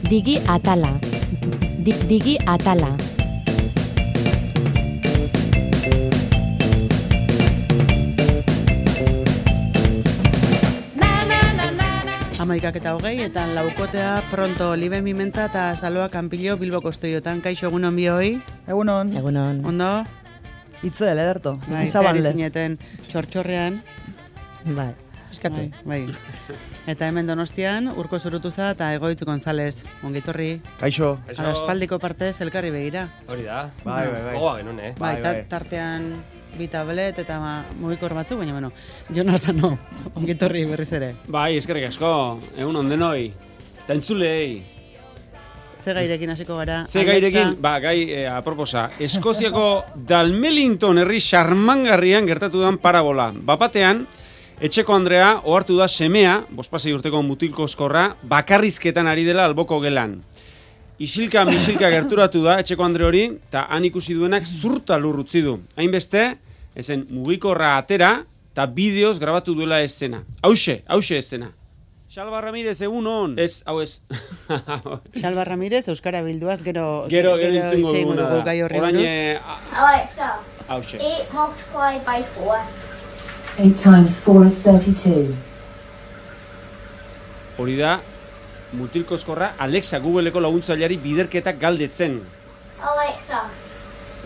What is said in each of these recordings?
Digi atala. Digi atala. Amaikak eta hogei, eta laukotea pronto Libe Mimentza eta Saloa Kanpillo Bilboko Estudiotan. Kaixo, egunon bioi? Egunon. Egunon. Ondo? Itzel, ederto. Zer zineten txortxorrean. Bai, eskatzu. Bai. Eta hemen Donostian, Urko Zurutuza eta Egoitz González. Ongitorri. Kaixo. Aspaldiko partez elkarri begira. Hori da. Bai. Gogoa genuen, Bai, tartean bi tablet eta mugikor batzuk, baina bueno, Jonathan ongitorri berriz ere. Bai, eskerrik asko, egun ondenoi, eta entzulei. Ze gairekin hasiko gara? Ze gairekin, gai aproposa, Eskoziako Dalmelington herri xarmangarrian gertatu den parabola. Bapatean, etxeko Andrea ohartu da semea, 5 urteko mutilkozkorra, bakarrizketan ari dela alboko gelan. Isilka gerturatu da etxeko Andre hori, eta han ikusi duenak zurta lur utzi du. Hainbeste, ezen mugikorra atera, eta bideoz grabatu duela eszena. Hauxe eszena. Xalba Ramirez, egun hon. Ez, hau ez. Xalba Ramirez, Euskara bilduaz, gero entzungo duguna da. Orain, Alexa, hauxe. 8 multiplied by 4. 8 times 4 is 32. Hori da, mutilkozkorra Alexa Googleko laguntzaileari biderketak galdetzen. Alexa,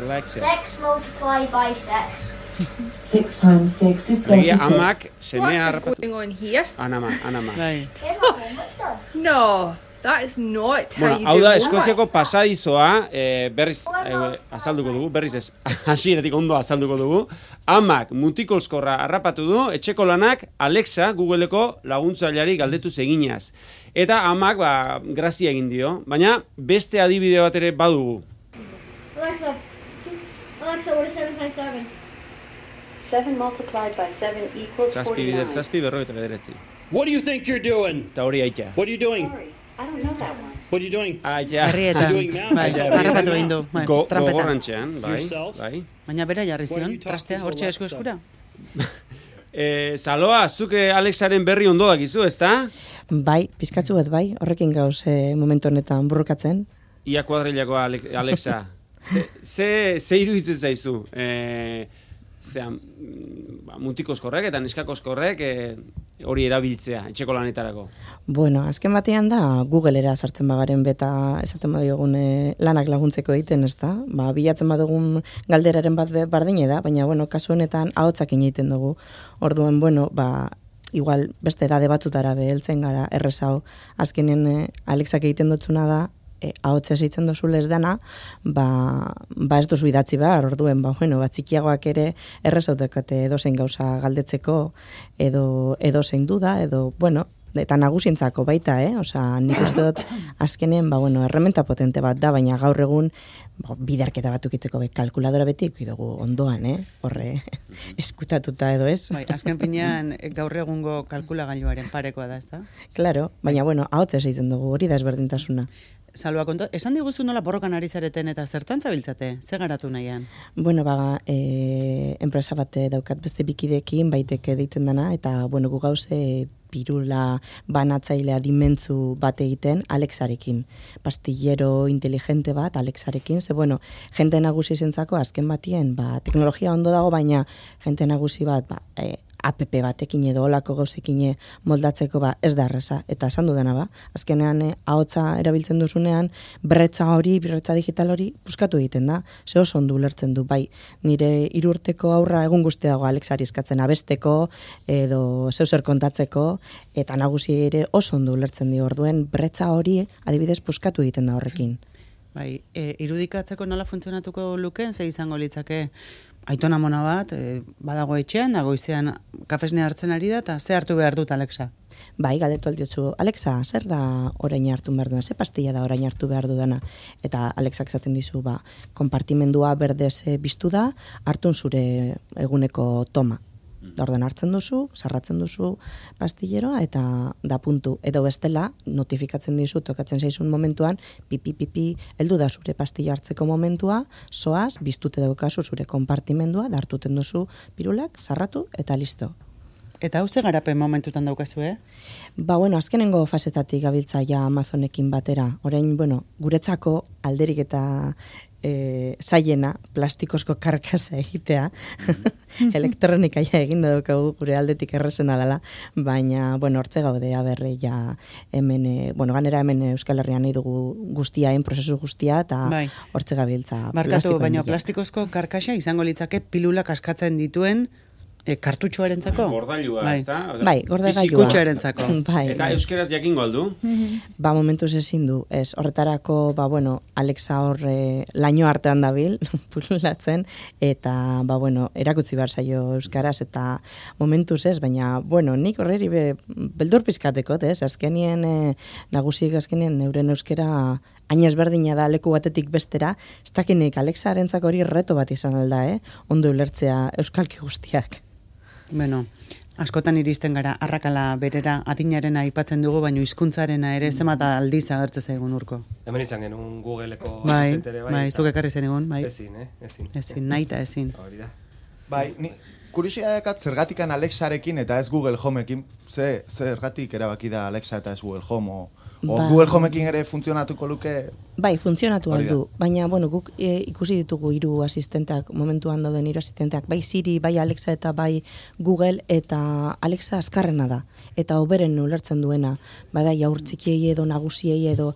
6 multiplied by 6. 6 times 6 is Legia 36. amak, semea harrapatu. What is going on here? Anama. Bai. Get my homework done. No, that is not how Bueno, you hau do da, homework. Eskoziako pasadizoa, berriz azalduko dugu, berriz ez, hasieratik ondo azalduko dugu. Amak mutikolskorra harrapatu du, etxeko lanak Alexa Googleko laguntzaileari galdetu eginaz. Eta amak, grazia egin dio, baina beste adibide bat ere badugu. Alexa, what is 7 times 7? 7 multiplied by 7 equals Zazpi berrogeita bederatzi. What do you think you're doing? Eta hori aitea. What are you doing? Sorry, I don't know that one. What are you doing? Aitea. Herrietan, bai, harrapatu egin du. Bai, trampetan. Gogorrantxean, bai. Yourself? Baina bera jarri zion, What are you talking trastea, to hortxe Alexa? eskura. Saloa, zuke Alexaren berri ondo dakizu, ezta? Bai, pizkatzu bat bai, horrekin gauz momentu honetan burrukatzen. Ia kuadrilako Alexa. Ze iruditzen zaizu? Mutikozkorrek eta neskakozkorrek hori erabiltzea, etxeko lanetarako. Bueno, azken batean da Googlera sartzen bagaren beta esaten badiogun lanak laguntzeko egiten, ez da? Bilatzen badugun galderaren bat bardine da, baina bueno, kasu honetan ahotsakin egiten dugu. Orduan, bueno, igual beste edade batzutara beheltzen gara errezau. Azkenen Alexak egiten dutzuna da, ahotsa esitzen dozu les dana, ez duzu idatzi behar, orduen, txikiagoak ere errezautekate edozein gauza galdetzeko, edo zein duda, eta nagusientzako baita, Osa, nik uste dut azkenen, errementa potente bat da, baina gaur egun biderketa bat ukiteko kalkuladora beti dugu ondoan, horre eskutatuta edo ez. Bai, azken finean gaur egungo kalkulagailuaren parekoa da, ezta? Claro, baina ahotsa esitzen dugu, hori da ezberdintasuna. Salua, esan diguzu nola borrokan ari zareten eta zertan zabiltzate? Ze garatu nahian? Bueno, enpresa bat daukat beste bikidekin, baiteke deiten dana, eta, gu gauze pirula banatzailea dimentzu bat egiten Alexarekin. Pastillero inteligente bat Alexarekin, ze, jente nagusi zentzako azken batien, teknologia ondo dago, baina jente nagusi bat, app batekin edo olako gauzekin moldatzeko ez da erreza. Eta esan dudana azkenean ahotsa erabiltzen duzunean, berretza digital hori puskatu egiten da. Ze oso ondo ulertzen du, bai, nire 3 urteko aurra egun guzti dago Alexari eskatzen abesteko, edo zeuser kontatzeko, eta nagusi ere oso ondo ulertzen dio, orduen berretza hori adibidez puskatu egiten da horrekin. Bai, irudikatzeko nola funtzionatuko lukeen, ze izango litzake aitona mona bat, badago etxean, goizean kafesnea hartzen ari da, eta ze hartu behar dut, Alexa? Bai, galdetu aldiotzu, Alexa, zer da orain hartu behar duna, ze pastilla da orain hartu behar dudana? Eta Alexak esaten dizu, konpartimendua berdez biztu da, hartun zure eguneko toma. Ordan hartzen duzu, sarratzen duzu pastilleroa eta da puntu. Edo bestela, notifikatzen dizu, tokatzen zaizun momentuan, pipi, heldu da zure pastilla hartzeko momentua, zoaz, biztute daukazu zure konpartimendua, da hartuten duzu pirulak, sarratu eta listo. Eta hau ze garapen momentutan daukazu, Ba, bueno, azkenengo fasetatik gabiltza ja Amazonekin batera. Orain, bueno, guretzako alderik eta zaiena plastikozko karkasa egitea. Elektronika ja egin daukagu gure aldetik errezen alala, baina, bueno, hortze gaude, aberre, ja hemen, bueno, ganera hemen Euskal Herrian nahi dugu guztiaen, prozesu guztia, eta hortze gabiltza. Markatu, baina plastikozko karkasa izango litzake pilula kaskatzen dituen kartutxoarentzako? Gordailua, ez da? Bai, gordailua. Fizikutxoarentzako. Eta euskeraz jakingo aldu? Ba, momentuz ezin du. Ez, horretarako, ba, bueno, Alexa horre laino artean dabil, pululatzen, eta, ba, bueno, erakutzi behar zaio euskaraz, eta momentuz ez, baina, bueno, nik horreri beldur pizkateko, ez? Azkenien, nagusiek azkenien euren euskera hain ezberdina da leku batetik bestera, ez dakinik Alexarentzako hori reto bat izan alda, ondo ulertzea euskalki guztiak. Bueno, askotan iristen gara arrakala berera adinarena aipatzen dugu, baina hizkuntzarena ere zenbat aldiz agertzen zaigun Urko. Hemen izan genuen Googleko asistentere, bai. Bai, zuk ekarri zen egun, bai. Ezin. Ezin, nahi eta ezin. Hori da. Bai, ni kuriosidadekat zergatikan Alexarekin eta ez Google Homeekin, zergatik erabaki da Alexa eta ez Google Home, Google Homeekin ere funtzionatuko luke? Bai, funtzionatu aldu, baina, bueno, guk ikusi ditugu 3 asistenteak, momentuan dauden 3 asistenteak, bai Siri, bai Alexa eta bai Google, eta Alexa azkarrena da, eta hoberen ulertzen duena, bada jaurtzikiei edo nagusiei edo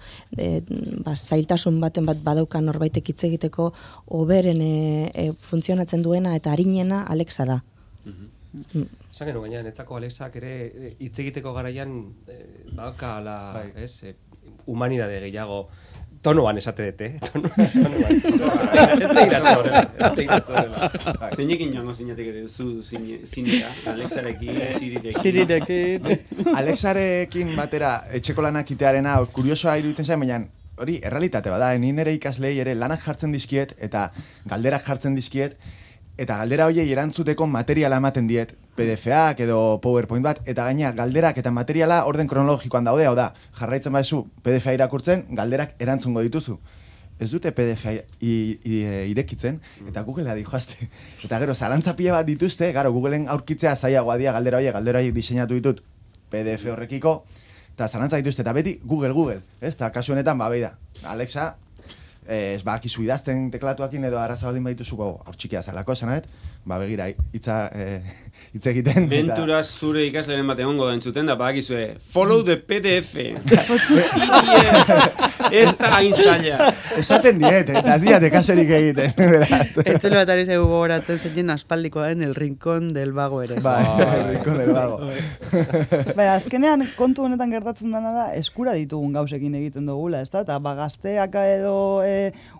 zailtasun baten bat badaukan norbaitek hitz egiteko, hoberen funtzionatzen duena eta arinena Alexa da. Esan genuen gaina, netzako Alexak ere hitz egiteko garaian badakala, humanidade gehiago tonoan esate dute, tonoan. Ez behiratu horrela. Zeinekin joango zinetik duzu zinera, Alexarekin, Sirirekin. Alexarekin batera etxeko lanak itearena kuriosoa iruditzen zen, baina hori errealitate bada, ni nire ikaslei ere lanak jartzen dizkiet eta galderak jartzen dizkiet, eta galdera hoiei erantzuteko materiala ematen diet, PDF-ak edo PowerPoint bat, eta gaina galderak eta materiala orden kronologikoan daude, hau da, jarraitzen baizu PDF-a irakurtzen, galderak erantzungo dituzu. Ez dute PDF-a irekitzen, eta Googlea dijoazte. Eta gero, zalantza pila bat dituzte, gero, Googleen aurkitzea zailagoa dia galdera horiek diseinatu ditut PDF horrekiko, eta zalantza dituzte, eta beti Google, ez? Eta kasu honetan, ba, beida, Alexa, ez bakizu idazten teklatuakin edo arazo baldin badituzuko hor txikia zalako esan ba begira hitz egiten. Venturaz zure ikasleren bat egongo da entzuten da badakizue follow the PDF. Ez da hain zaila. Esaten diet, eta diat ekaserik egiten. Etxelo bat ari zegu gogoratzen zeinen aspaldikoaren El Rincón del Vago ere. Bai, El Rincón del Vago. Bai, azkenean kontu honetan gertatzen dena da eskura ditugun gauzekin egiten dugula, ezta? Eta gazteak edo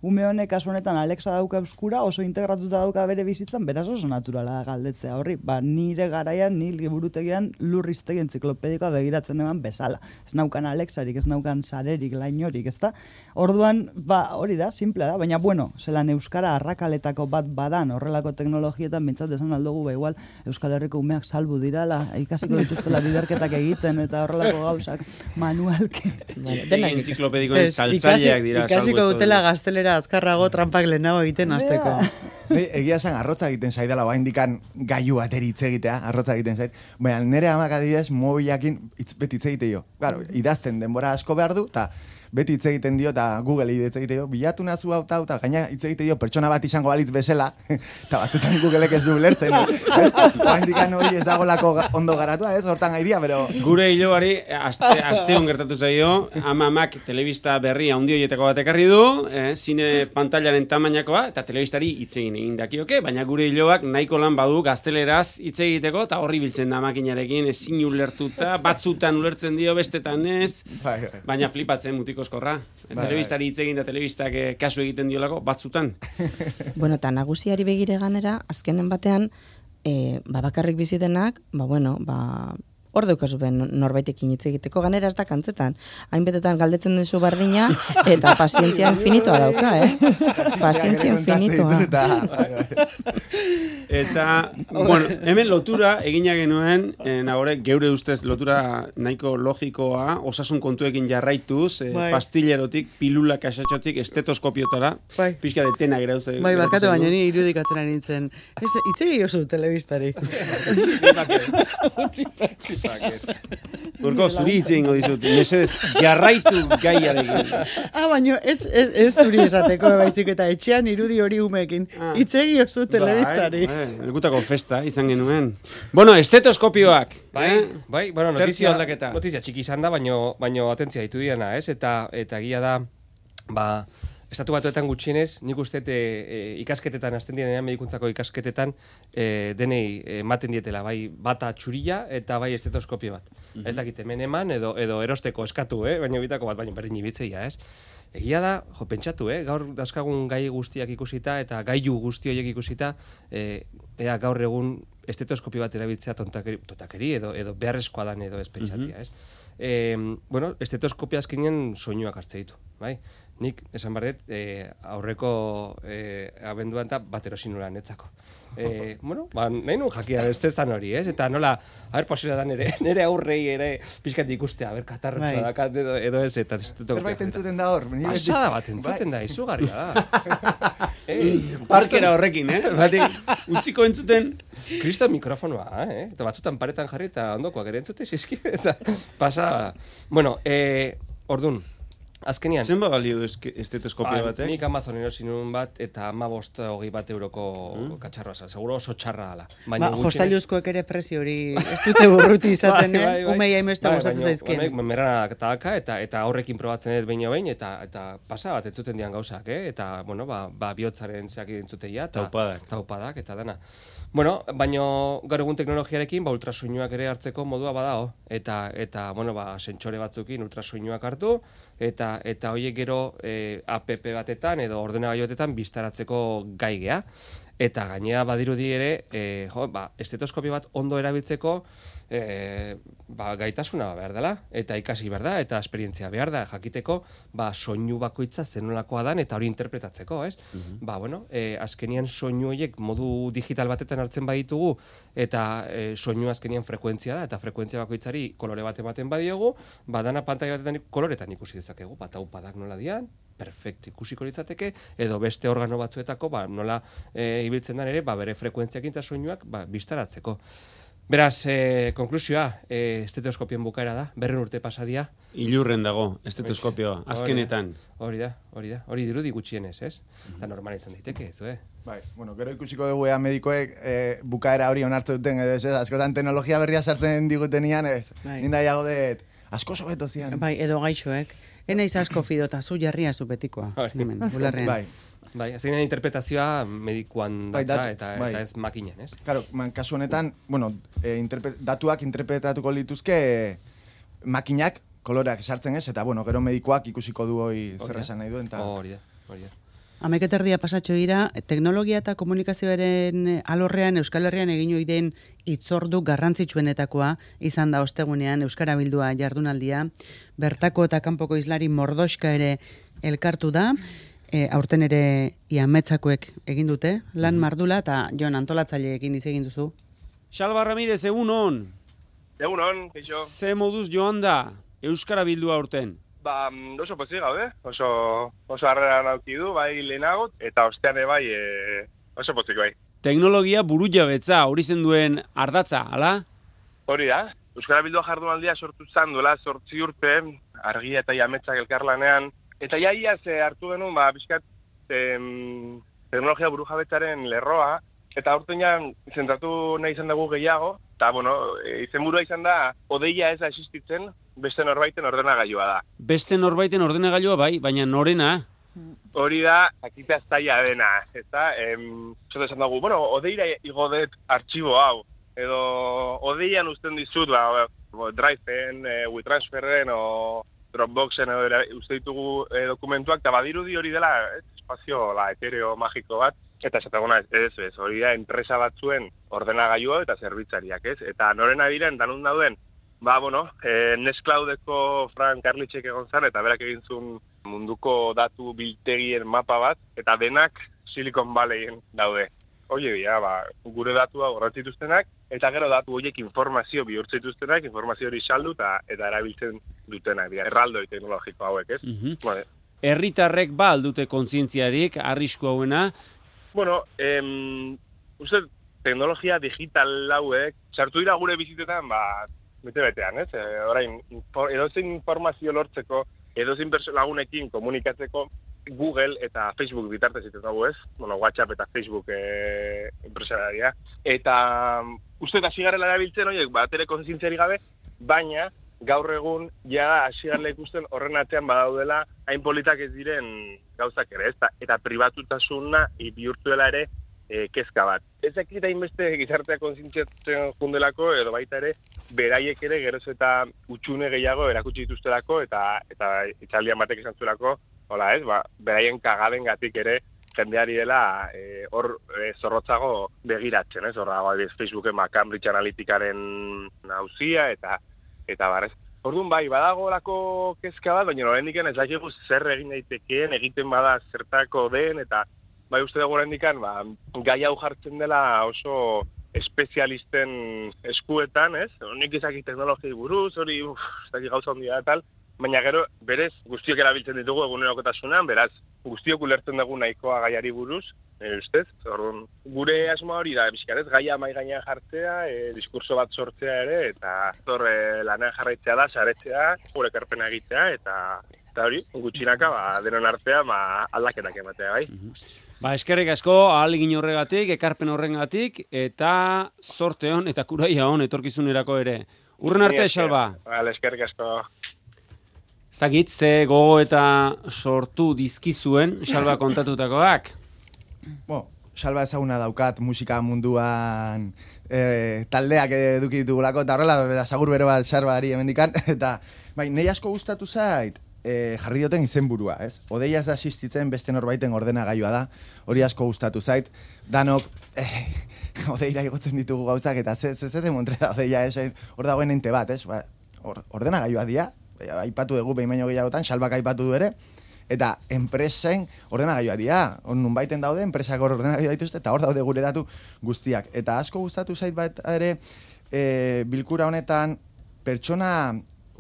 ume honek kasu honetan Alexa dauka euskura, oso integratuta dauka bere bizitzan, beraz oso naturala da galdetzea horri. Ba, nire garaian, ni liburutegian lurriztegi entziklopedikoa begiratzen eman bezala. Ez naukan Alexarik, ez naukan sarerik, lainorik, ezta? Orduan, ba, hori da, simplea da, baina bueno, zelan euskara arrakaletako bat badan horrelako teknologietan bintzat esan aldugu, ba igual Euskal Herriko umeak salbu dirala, ikasiko dituztela biderketak egiten eta horrelako gauzak manualki. Entziklopedikoen saltzaileak dira. Ikasiko dutela gaztelera azkarrago trampak lehenago egiten hasteko. Egia esan, arrotza egiten zaidala, ba indikan gaiu bateri hitz egitea, arrotza egiten zait. Baina, nire amak adidez, mobilakin beti hitz egite jo. Claro, idazten denbora asko behar du, eta beti hitz egiten dio, eta Google hitz egite dio, bilatu nazu hau eta gaina hitz egite dio, pertsona bat izango balitz bezala, eta batzutan Googleek ez du lertzen. Ba indikan hori ez dagolako ondo garatua, ez, hortan gaidia, pero... Gure hiloari, asteon gertatu zaio, amamak telebista berri handi horietako bat ekarri du, zine pantailaren tamainakoa, eta telebistari hitz egin dakioke, baina gure hiloak nahiko lan badu gazteleraz hitz egiteko, eta horri biltzen da makinarekin, ezin ulertuta, batzutan ulertzen dio, bestetan ez, baina flipatzen mutiko eskorra. Telebistari hitz egin da telebistak kasu egiten diolako, batzutan. Bueno, eta nagusiari begire ganera, azkenen batean, bakarrik bizitenak, hor daukazu ben norbaitekin hitz egiteko, ganera ez da kantzetan. Hainbetetan galdetzen duzu bardina, eta pazientzia infinitoa dauka, Pazientzia infinitoa. Eta, bueno, hemen lotura egina genuen, nagore, geure ustez lotura nahiko logikoa, osasun kontuekin jarraituz, pastillerotik, pilula kasatxotik, estetoskopiotara, pixka detena gerauze. Bai, barkatu baina ni irudikatzen ari nintzen. Itzegi oso telebistari. Urko, zuri hitz egingo dizut, mesedez, jarraitu gaiarekin. Baina ez zuri esateko, baizik eta etxean irudi hori umeekin. Itzegi oso telebistari. Lekutako festa izan genuen. Bueno, estetoskopioak. Bai, bueno, notizia txiki izan da, baino atentzia ditu diana, ez? Eta egia da, Estatu Batuetan gutxienez, nik uste ikasketetan, azten direnean medikuntzako ikasketetan, denei ematen dietela, bai bata txurila eta bai estetoskopio bat. Ez dakit hemen eman edo erosteko eskatu, baina bitako bat, baina berdin ibitzeia, ez? Egia da, pentsatu, gaur dauzkagun gai guztiak ikusita eta gailu guzti horiek ikusita, ea gaur egun estetoskopio bat erabiltzea tontakeri edo beharrezkoa dan edo ez pentsatzea, ez? Bueno, estetoskopio azkenean soinuak hartze ditu, bai? Nik, esan barret, aurreko abenduan eta bat erosin nula netzako. Bueno, nahi nun jakia zezan hori, ez? Eta nola, posible da nire aurrei ere pixkat ikustea, katarrotxoa dakat edo ez, eta zerbait entzuten da hor. Pasada bat entzuten da, izugarria da. Parkera horrekin, utziko entzuten. Kristo mikrofonoa, eta batzutan paretan jarri eta ondokoak ere entzute, zizki, eta pasada. Bueno, ordun. Azkenian. Zenba balio estetoskopia batek? Nik Amazonen erosi nuen bat eta 15-20 euroko katxarroa zan. Seguro oso txarra dela. Jostailuzkoek ere prezio hori ez dute burruti izaten, umei haimesta gustatzen zaizkien. Merana tabaka eta horrekin probatzen dut behin eta pasa bat entzuten dian gauzak, eta, bueno, bihotzaren zeak entzuteia. Taupadak eta dana. Bueno, baino gaur egun teknologiarekin ultrasoinuak ere hartzeko modua badao eta bueno, sentsore batzukin ultrasoinuak hartu eta horiek gero app batetan edo ordenagailu batetan biztaratzeko gai gea. Eta gainera badirudi ere, estetoskopio bat ondo erabiltzeko gaitasuna behar dela, eta ikasi behar da, eta esperientzia behar da, jakiteko soinu bakoitza zenolakoa dan, eta hori interpretatzeko, ez? Bueno, azkenian soinu horiek modu digital batetan hartzen baditugu, eta soinu azkenian frekuentzia da, eta frekuentzia bakoitzari kolore bat ematen badiogu, dana pantaila batetan koloretan ikusi dezakegu, taupadak nola dian, perfecto ikusiko litzateke, edo beste organo batzuetako nola ibiltzen den ere, bere frekuentziakin eta soinuak biztaratzeko. Beraz, konklusioa, estetoskopioen bukaera da, 200 urte pasadia. Ilurren dago, estetoskopioa, azkenetan. Hori da, hori dirudi gutxienez, ez? Eta normal izan daiteke, ez, Bai, bueno, gero ikusiko dugu medikoek bukaera hori onartu duten, edo ez, askotan teknologia berria sartzen digutenian, ez? Nina jago dut, asko sobeto zian. Bai, edo gaixoek. Enaiz asko fidota, zu jarria zu betikoa. Bai, azkenean interpretazioa medikuan datza eta ez makinen, ez? Claro, kasu honetan, bueno, datuak interpretatuko lituzke makinak koloreak sartzen ez, eta bueno, gero medikuak ikusiko du hori zer esan nahi duen. Hori da. 11 erdia pasatxo dira, teknologia eta komunikazioaren alorrean Euskal Herrian egin ohi den hitzordu garrantzitsuenetakoa izan da ostegunean Euskara Bildua jardunaldia, bertako eta kanpoko hizlari mordoxka ere elkartu da. Aurten ere Iametzakoek egin dute, lan mardula eta Jon antolatzaileekin hitz egin duzu. Xalba Ramirez, egunon. Egunon, keixo. Ze moduz joan da Euskara Bildua aurten? Oso pozik gaude, oso harrera nauki du, bai lehenago, eta ostean bai oso pozik bai. Teknologia buru jabetza, hori zen duen ardatza, ala? Hori da, Euskara Bildua jardunaldia sortu zan duela 8 urte, Argia eta Iametzak elkarlanean, eta ia hartu genuen, bizkat, teknologia buru jabetzaren lerroa, eta aurtean zentratu nahi izan dugu gehiago, eta, bueno, izenburua izan da, odeia ez da existitzen, beste norbaiten ordenagailua da. Beste norbaiten ordenagailua bai, baina norena? Hori da, akitea zaila dena, eta, zote esan dugu, bueno, odeira igodet artxibo hau, edo odeian uzten dizut, Drive-en, WeTransferen, o Dropboxen uste ditugu dokumentuak, eta badirudi hori dela espazio etereo magiko bat, eta esataguna ez, hori da enpresa batzuen ordenagailua eta zerbitzariak, ez? Eta norena diren, danun dauden Nextcloudeko Frank Karlitzek egon zen, eta berak egin zuen munduko datu biltegien mapa bat, eta denak Silicon Valleyen daude. Hoi dira, gure datua gorratzituztenak, eta gero datu horiek informazio bihurtzituztenak, informazio hori saldu eta erabiltzen dutenak, dira, erraldoi teknologiko hauek, ez? Vale. Herritarrek aldute kontzientziarik, arrisku hauena? Uste, teknologia digital hauek, sartu dira gure bizitetan, bete-betean, ez? Orain, edozein informazio lortzeko, edozein lagunekin komunikatzeko, Google eta Facebook bitartez egiten dugu, ez? WhatsApp eta Facebook enpresararia. Eta uste hasi garela erabiltzen horiek, batere kontzientziarik gabe, baina gaur egun ja hasi garela ikusten horren atzean badaudela hain politak ez diren gauzak ere, ez? Eta pribatutasuna bihurtuela ere kezka bat. Ez dakit hainbeste gizartea kontzientziatzen jundelako, edo baita ere, beraiek ere geroz eta utxune gehiago erakutsi dituztelako, eta itxaldian batek esan zuelako, hola ez, beraien kagadengatik ere jendeari dela hor zorrotzago begiratzen, ez? Horra, Facebooken Cambridge Analyticaren nauzia, eta barrez. Orduan badago lako kezka bat, baina oraindik ez dakigu zer egin daitekeen, egiten bada zertako den, eta uste dugu oraindik gai hau jartzen dela oso espezialisten eskuetan, ez? Nik ezakit teknologiai buruz, hori ez dakit gauza handia da tal, baina gero berez guztiok erabiltzen ditugu egunerokotasunean, beraz guztiok ulertzen dugu nahikoa gaiari buruz, ustez? Orduan, gure asmoa hori da, bizkarez, gaia mai gainean jartzea, diskurso bat sortzea ere, eta lanean jarraitzea da, saretzea, gure ekarpena egitea, eta hori, gutxinaka, denon artean aldaketak ematea, bai? Eskerrik asko, ahalegin horregatik, ekarpen horregatik, eta zorte hon, eta kuraia hon, etorkizunerako ere. Urren arte, Xalba. Eskerrik asko. Zagit, ze gogo eta sortu dizkizuen, Xalba kontatutakoak? Xalba ezaguna daukat musika munduan taldeak eduki ditugulako, eta horrela, sagur bero bat Xarbari hemendikan, eta nahi asko gustatu zait, jarri dioten izenburua, ez? Odeia ez da asistitzen beste norbaiten ordenagailua da, hori asko gustatu zait, danok odeira igotzen ditugu gauzak, eta ze demontre da odeia, hor dagoen ente bat, ez? Ordenagailua dia, aipatu dugu behin baino gehiagotan, Xalbak aipatu du ere, eta enpresen ordenagailua dira, hor nunbaiten daude, enpresak hor ordenagailua dituzte, eta hor daude gure datu guztiak. Eta asko gustatu zait bat ere, bilkura honetan,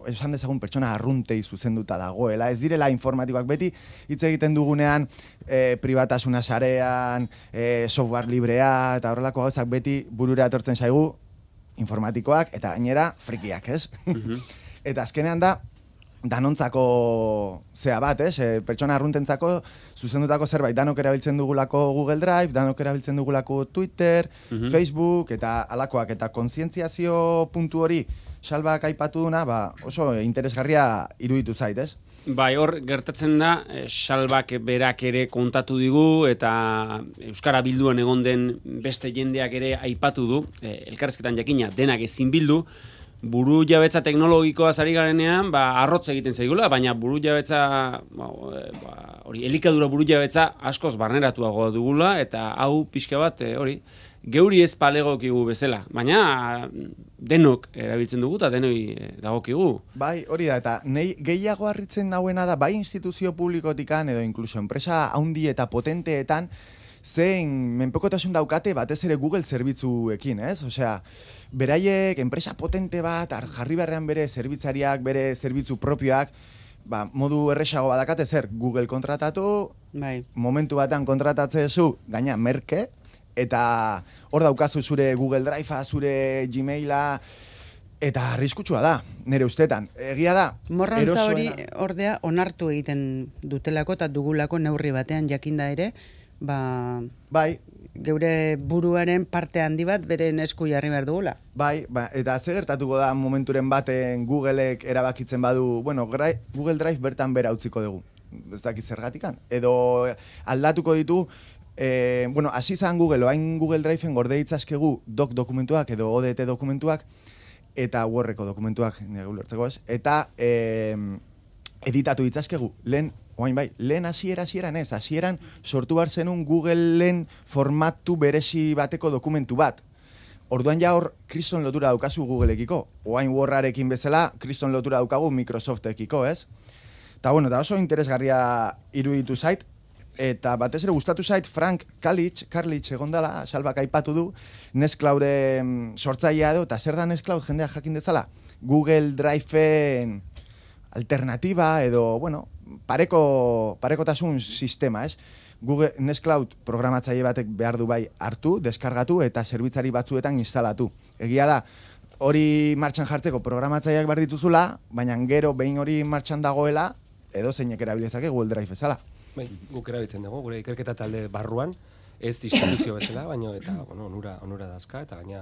esan dezagun pertsona arruntei zuzenduta dagoela, ez direla informatikoak beti, hitz egiten dugunean, pribatasuna sarean, software librea, eta horrelako gauzak beti burura etortzen zaigu, informatikoak, eta gainera, frikiak, ez? Eta azkenean da, danontzako zea bat, pertsona arruntentzako zuzendutako zerbait, danok erabiltzen dugulako Google Drive, danok erabiltzen dugulako Twitter, Facebook, eta alakoak, eta kontzientziazio puntu hori Xalbak aipatu duna, oso interesgarria iruditu zait, ez? Bai, hor gertatzen da, Xalbak berak ere kontatu digu, eta Euskara Bilduan egon den beste jendeak ere aipatu du, elkarrezketan jakina denak ezin bildu, buru jabetza teknologikoa zari garenean, arrotz egiten zaigula, baina buru jabetza, elikadura buru jabetza askoz barneratuago dugula, eta hau pixka bat, geuri ez palegokigu bezala, baina denok erabiltzen dugu eta denoi dagokigu. Bai, hori da, eta nei gehiago harritzen nauena da, bai instituzio publikotikan edo inkluso enpresa handi eta potenteetan, zein menpekotasun daukate batez ere Google zerbitzuekin, ez? Osea, beraiek enpresa potente bat, jarri beharrean bere zerbitzariak, bere zerbitzu propioak, modu erresago badakate zer, Google kontratatu, momentu batean kontratatzezu, gaina merke, eta hor daukazu zure Google Drivea, zure Gmaila, eta arriskutsua da, nire ustetan. Egia da, morrontza hori ordea onartu egiten dutelako eta dugulako neurri batean jakinda ere, bai, geure buruaren parte handi bat beren esku jarri behar dugula. Bai, eta ze gertatuko da momenturen baten Googleek erabakitzen badu, Google Drive bertan bera utziko dugu, ez dakit zergatikan, edo aldatuko ditu, hasi zan Google, oain Google Driveen gorde ditzazkegu dokumentuak edo ODT dokumentuak, eta Wordeko dokumentuak, eta editatu ditzazkegu, lehen hasieran sortu behar zenun Googleen formatu berezi bateko dokumentu bat. Orduan ja hor kriston lotura daukazu Googleekiko. Oain Word-arekin bezala, kriston lotura daukagu Microsoft-ekiko, ez? Eta bueno, da oso interesgarria iruditu zait, eta batez ere gustatu zait Frank Carlich egondala, Salbak aipatu du, Nextclouden sortzailea edo, eta zer da Nextcloud jendea jakin dezala? Google Drive-en alternatiba edo, bueno, parekotasun sistema, ez? Google Nextcloud programatzaile batek behar du bai hartu, deskargatu eta zerbitzari batzuetan instalatu. Egia da, hori martxan jartzeko programatzaileak behar dituzula, baina gero behin hori martxan dagoela, edo zeinek erabilezake Google Drive bezala. Bai, guk erabiltzen dugu, gure ikerketa talde barruan, ez instituzio bezala, baina eta bueno, onura dazka, eta gaina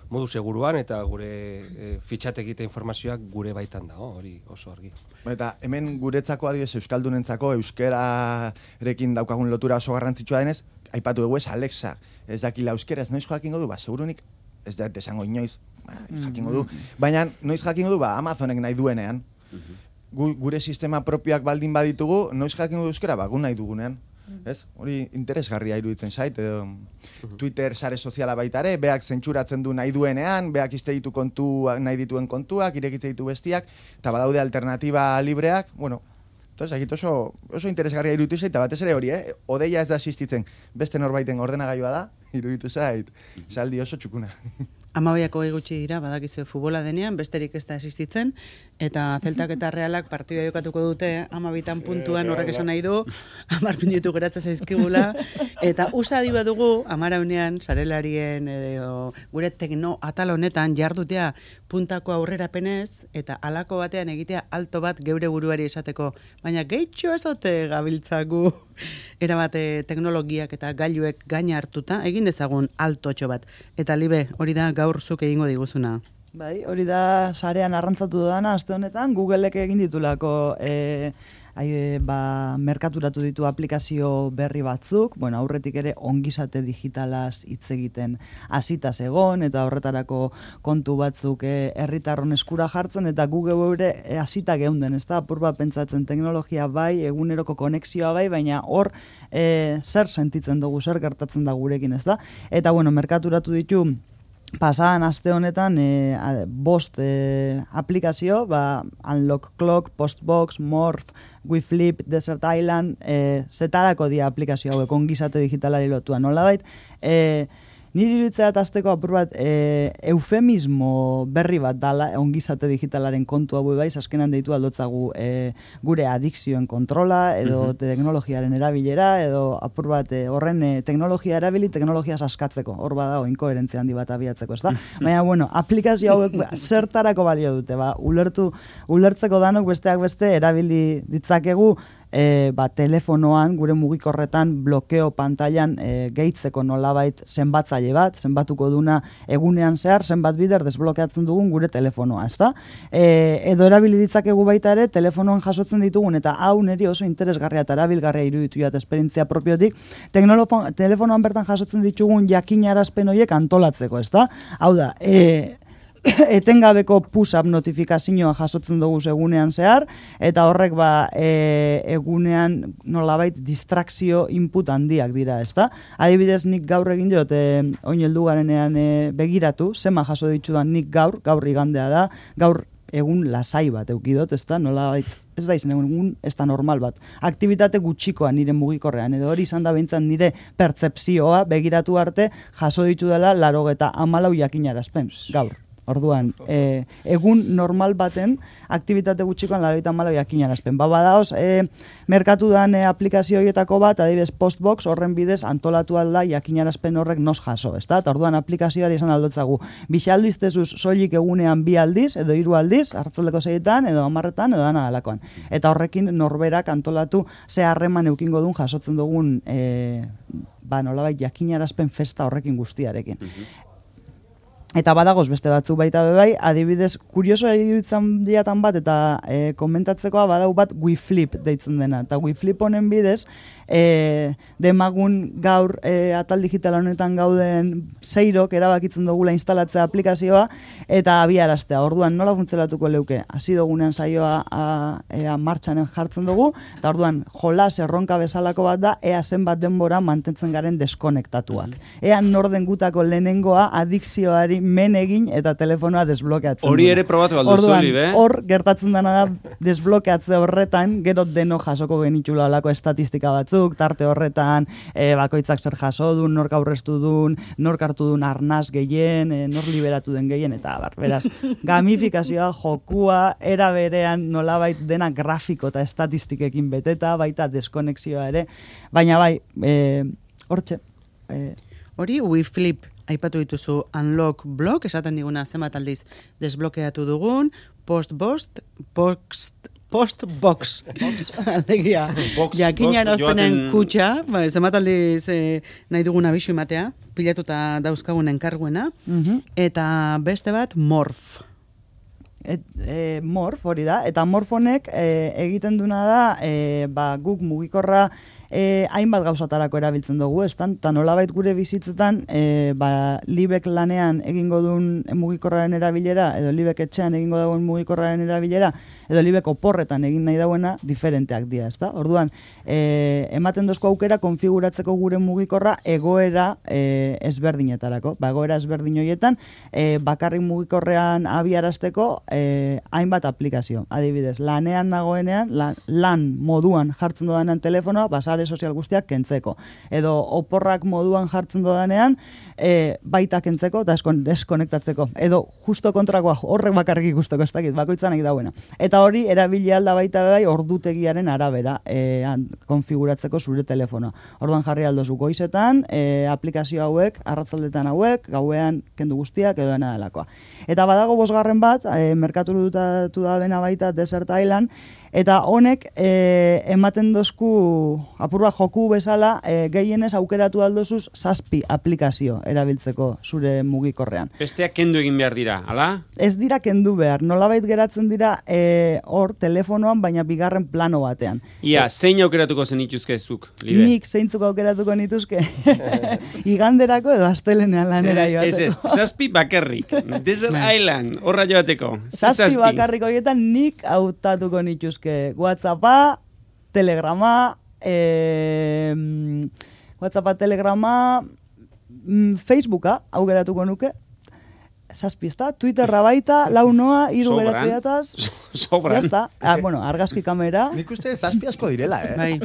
modu seguruan eta gure fitxatekite informazioak gure baitan dago, hori oso argi. Eta hemen guretzako adibidez euskaldunentzako euskerarekin daukagun lotura oso garrantzitsua denez, aipatu dugu ez Alexa, ez dakila euskeraz, noiz jakingo du, segurunik, ez da esango inoiz, jakingo du, baina noiz jakingo du, Amazonek nahi duenean. Gure sistema propioak baldin baditugu, noiz jakingo du euskera, gu nahi dugunean. Ez? Hori interesgarria iruditzen zait, edo Twitter sare soziala baitare, beak zentsuratzen du nahi duenean, beak iste ditu nahi dituen kontuak, irekitze ditu bestiak, eta badaude alternatiba libreak, bueno, entonces, oso interesgarria iruditu zait, eta batez ere hori, odeia ez da existitzen, beste norbaiten ordenagailua da, iruditu zait, saldi oso txukuna. 12 gutxi dira, badakizue futbola denean, besterik ez da existitzen, eta Zeltak eta Realak partidua jokatuko dute 12 puntuan, horrek esan nahi du, 10 minutu geratzen zaizkigula, eta USA diba dugu, 11 sarelarien edo gure tekno atal honetan jardutea puntako aurrerapenez, eta halako batean egitea alto bat geure buruari esateko, baina gehitxo ezote gabiltzagu erabate teknologiak eta gailuek gaina hartuta, egin dezagun altotxo bat. Eta Libe, hori da gaur zuk egingo diguzuna. Bai, hori da sarean arrantzatu dudana, aste honetan, Googleek egin ditulako merkaturatu ditu aplikazio berri batzuk, bueno, aurretik ere ongizate digitalaz hitz egiten hasita egon, eta horretarako kontu batzuk herritarron eskura jartzen, eta Google ere hasita geunden, ez da, apur bat pentsatzen teknologia bai, eguneroko konexioa bai, baina hor zer sentitzen dugu, zer gertatzen da gurekin, ez da, eta bueno, merkaturatu ditu pasadan aste honetan 5 aplikazio, Unlock Clock, Postbox, Morph, WeFlip, Desert Island, zetarako dia aplikazio hauek ongizate digitalari lotua. Nolabait, niri iruditzea azteko apur bat eufemismo berri bat dala ongizate digitalaren kontu hau bai, azkenan deitu aldotzagu gure adikzioen kontrola, edo teknologiaren erabilera, edo apur bat horren teknologia erabili, teknologia saskatzeko, hor bada inkoherentzia handi bat abiatzeko, ez da? Baina, bueno, aplikazio hauek zertarako balio dute, ulertzeko danok besteak beste erabili ditzakegu, telefonoan, gure mugikorretan, blokeo pantailan gehitzeko nolabait zenbatzaile bat, zenbatuko duna egunean zehar, zenbat bider desblokeatzen dugun gure telefonoa, ezta? Edo erabili ditzakegu baita ere, telefonoan jasotzen ditugun, eta hau niri oso interesgarria eta erabilgarria iruditu jat esperientzia propiotik, telefonoan bertan jasotzen ditugun jakinarazpen horiek antolatzeko, ezta? Hau da, etengabeko push-up notifikazioa jasotzen dugu egunean zehar, eta horrek egunean nolabait distrakzio input handiak dira, ezta? Adibidez, nik gaur egin diot, oin heldu garenean begiratu, zema jaso ditudan nik gaur igandea da, gaur egun lasai bat eukidot, ezta? Nolabait, ez da izan egun, ez da normal bat. Aktibitate gutxikoa nire mugikorrean, edo hori izan da behintzat nire pertzepzioa begiratu arte jaso ditu dela 94 jakinarazpen, gaur. Orduan, egun normal baten aktibitate gutxikoan 94 jakinarazpen. Badaoz, merkatu dan aplikazio horietako bat, adibidez Postbox, horren bidez antolatu alda jakinarazpen horrek nos jaso, ezta? Eta orduan aplikazioari izan aldotzagu. Bixaldiztezuz soilik egunean 2 aldiz, edo 3 aldiz, hartzaldeko 6etan, edo 10etan, edo dana dalakoan. Eta horrekin norberak antolatu ze harreman eukingo duen jasotzen dugun nolabait jakinarazpen festa horrekin guztiarekin. Eta badagoz beste batzuk baita bai, adibidez, kuriosoa iruditzen diatan bat, eta komentatzekoa badau bat WeFlip deitzen dena. Eta WeFlip honen bidez, demagun gaur atal digital honetan gauden zeirok erabakitzen dugula instalatzea aplikazioa, eta abiaraztea. Orduan, nola funtzionatuko leuke? Hasi dugunean saioa martxanen jartzen dugu, eta orduan, jolas erronka bezalako bat da, ea zenbat denbora mantentzen garen deskonektatuak. Ea norden gutako lehenengoa adikzioari men egin eta telefonoa desblokeatzen. Hori ere probatu alduzu, Libe? Hor gertatzen dena da desblokeatze horretan, gero deno jasoko genitxula alako estatistika batzuk, tarte horretan, bakoitzak zer jaso duen, nork aurreztu duen, nork hartu duen arnaz gehien, nor liberatu den gehien, eta beraz, gamifikazioa, jokua, era berean nolabait dena grafiko eta estatistikekin beteta, baita deskonexioa ere, baina bai, hortxe. Hori, WeFlip aipatu dituzu Unlock Block, esaten diguna zenbat aldiz desblokeatu dugun, Postbox, aldegia, jakina erazpenen kutxa, zenbat aldiz nahi dugun abisu ematea, pilatuta dauzkagun enkarguena, eta beste bat Morph. Morph hori da, eta Morph honek egiten duna da, guk mugikorra hainbat gauzatarako erabiltzen dugu, eta nolabait gure bizitzetan, Libek lanean egingo duen mugikorraren erabilera, edo Libek etxean egingo duen mugikorraren erabilera, edo Libek oporretan egin nahi dauena, diferenteak dira, ezta? Orduan, ematen dozko aukera konfiguratzeko gure mugikorra egoera ezberdinetarako. Egoera ezberdin horietan, bakarrik mugikorrean abiarazteko hainbat aplikazio. Adibidez, lanean nagoenean, lan moduan jartzen dodanean telefonoa, basare sozial guztiak kentzeko. Edo oporrak moduan jartzen dodanean, baita kentzeko eta deskonektatzeko. Edo justo kontrakoa, horrek bakarrik ikusteko, ez dakit, bakoitzan nahi dauena. Eta hori, erabili alda baita bai ordutegiaren arabera konfiguratzeko zure telefonoa. Orduan jarri aldozu goizetan, aplikazio hauek, arratzaldetan hauek, gauean kendu guztiak edo dena delakoa. Eta badago 5. bat, merkaturutatu da bena baita Desert Island, eta honek ematen dozku apurba joku bezala gehienez aukeratu aldozuz 7 aplikazio erabiltzeko zure mugikorrean. Besteak kendu egin behar dira, ala? Ez dira kendu behar, nolabait geratzen dira hor telefonoan, baina bigarren plano batean. Ia, zein aukeratuko zen ituzkezuk, Libe? Nik zeintzuk aukeratuko nituzke iganderako edo astelenean lanera joateko. 7 bakarrik, Desert Island, horra joateko. 7 bakarrik horietan nik hautatuko nituzke WhatsAppa, Telegrama, Facebooka aukeratuko nuke. 7, Twitterra baita, 4 noa, 3 beratzeataz. Sobran. Bueno, argazki kamera. Nik uste 7 asko direla, Bai.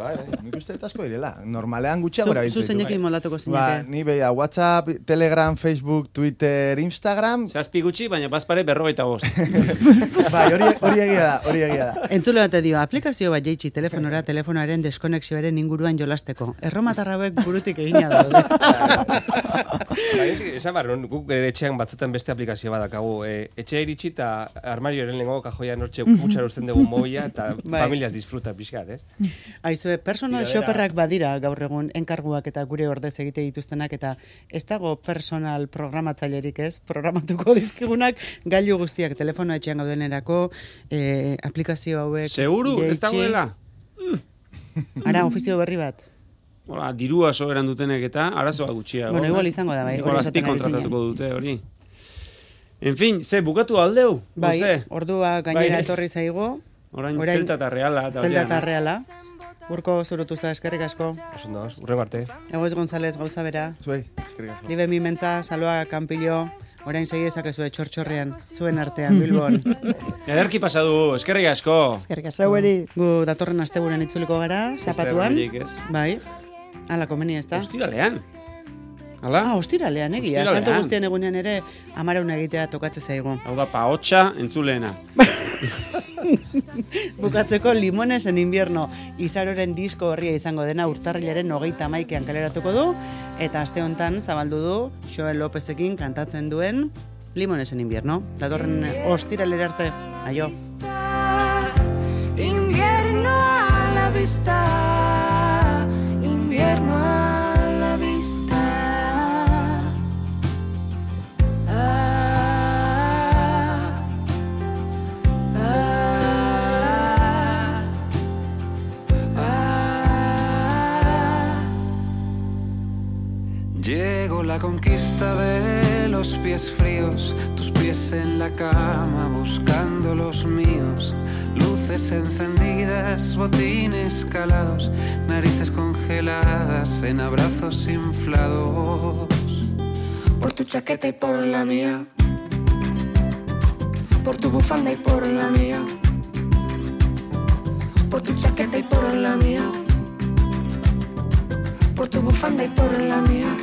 Nik uste asko direla. Normalean gutxiago erabiltzen. Zu zeinekin moldatuko zineke. Ni beha, WhatsApp, Telegram, Facebook, Twitter, Instagram. 7 gutxi, baina bazpare 45. Bai, hori egia da. Entzule bat dio, aplikazio bat jeitsi telefonoaren deskonexioaren inguruan jolasteko. Erromatar hauek burutik egina daude. Esan barron, guk etxean batzutan beste aplikazio badakagu. Etxe iritsi eta armarioaren lengo kajoia nortxe gutxar usten dugu mobila eta familias disfruta pixkat, ez? Aizue, personal shopperrak badira gaur egun enkarguak eta gure ordez egite dituztenak eta ez dago personal programatzailerik, ez? Programatuko dizkigunak gailu guztiak telefono etxean gaudenerako aplikazio hauek. Seguru, ez dagoela? Ara, ofizio berri bat. Hola, dirua soberan dutenek eta arazoa gutxia. Bueno, igual izango da, bai. Igual azpi kontratatuko dute, hori. En fin, bukatu aldeu? Bai, ordua gainera etorri zaigu. Orain Zelta eta Reala. Zelta eta Reala. Urko zurutu za, eskerrik asko. Osondo, urrengo arte. Egoiz González, gauza bera. Zuei, eskerrik asko. Libe Mimentza, Saloa, Kanpillo, orain segi ezakezue txortxorrean, zuen artean, Bilbon. Ederki pasadu, eskerrik asko. Eskerrik asko. Gu datorren asteburuan itzuliko gara, zapatuan. Bai, ala komeni ez da. Ostiralean. Hala? Ostiralean, egia. Santo guztien egunean ere amarauna egitea tokatze zaigu. Hau da, paotxa entzuleena. Bukatzeko Limones en invierno Izaroren disko horria izango dena urtarrilaren 31 kaleratuko du eta aste hontan zabaldu du Joel Lopezekin kantatzen duen Limones en invierno. Datorren ostiralera arte. Aio. Invierno a la vista. Invierno a la vista. la conquista de los pies fríos, tus pies en la cama buscando los míos, luces encendidas, botines calados, narices congeladas en abrazos inflados. Por tu chaqueta y por la mía, por tu bufanda y por la mía, por tu chaqueta y por la mía, por tu bufanda y por la mía.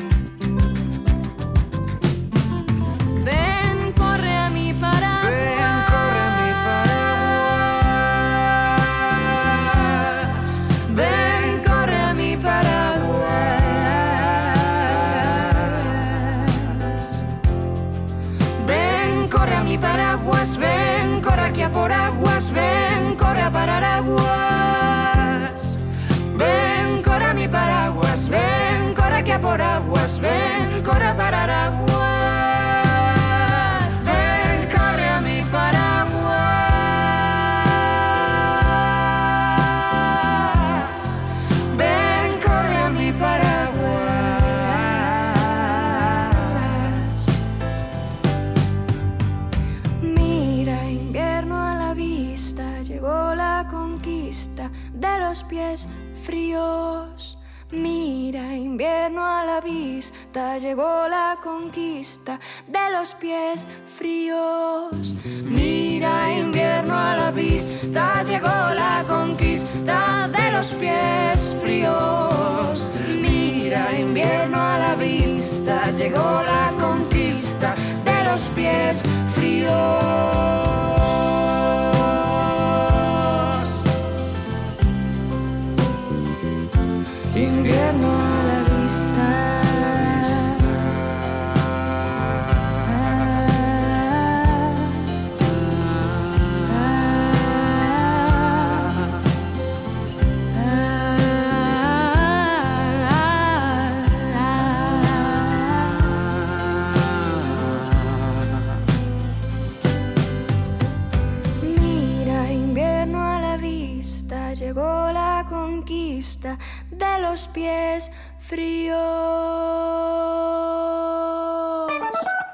Ven, corre a mi paraguas. Ven, corre a mi paraguas. Ven, corre a mi paraguas. Ven, corre a mi paraguas. Ven, corre aquí a por aguas. Ven, corre a parar aguas. Ven, corre a mi paraguas. Ven, corre aquí a por aguas. Ven, corre a parar aguas. Ven, corre a mi paraguas. Ven, corre a mi paraguas. Mira, invierno a la vista, llegó la conquista de los pies fríos. Mira, invierno a la vista, llegó la conquista de los pies fríos. Mira, invierno a la vista, llegó la conquista de los pies fríos. Mira, invierno a la vista, llegó la conquista de los pies fríos. Invierno a la vista. Mira, invierno a la vista, llegó la conquista de los pies fríos.